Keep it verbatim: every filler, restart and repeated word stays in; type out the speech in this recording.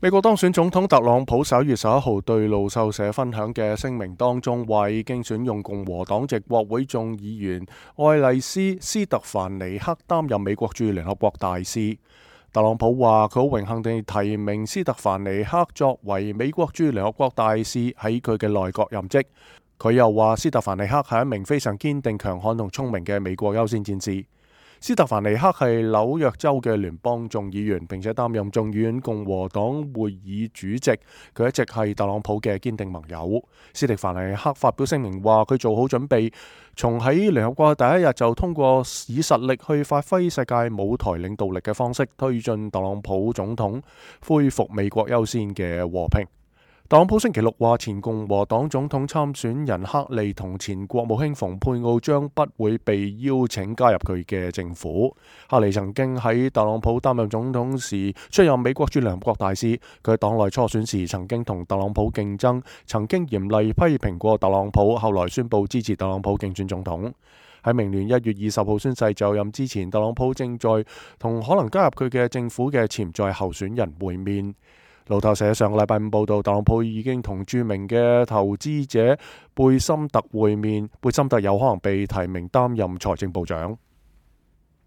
美國當選總統特朗普十一月十一號對路透社分享嘅聲明當中，話已經選用共和黨籍國會眾議員愛麗絲·斯特凡尼克擔任美國駐聯合國大使。特朗普話佢好榮幸地提名斯特凡尼克作為美國駐聯合國大使喺佢嘅內閣任職。佢又話斯特凡尼克係一名非常堅定、強悍同聰明嘅美國優先戰士。斯特凡尼克係紐約州嘅聯邦眾議員，並且擔任眾議院共和黨會議主席。佢一直係特朗普嘅堅定盟友。斯特凡尼克發表聲明話，佢做好準備，從喺聯合國第一日就通過以實力去發揮世界舞台領導力嘅方式，推進特朗普總統恢復美國優先嘅和平。特朗普星期六話，前共和黨總統參選人克利同前國務卿蓬佩奧將不會被邀請加入佢嘅政府。克利曾經喺特朗普擔任總統時出任美國駐聯合國大使，佢喺黨內初選時曾經同特朗普競爭，曾經嚴厲批評過特朗普，後來宣布支持特朗普競選總統。喺明年一月二十號宣誓就任之前，特朗普正在同可能加入佢嘅政府嘅潛在候選人會面。路透社上個禮拜五報道，特朗普已經同著名嘅投資者貝森特會面，貝森特有可能被提名擔任財政部長。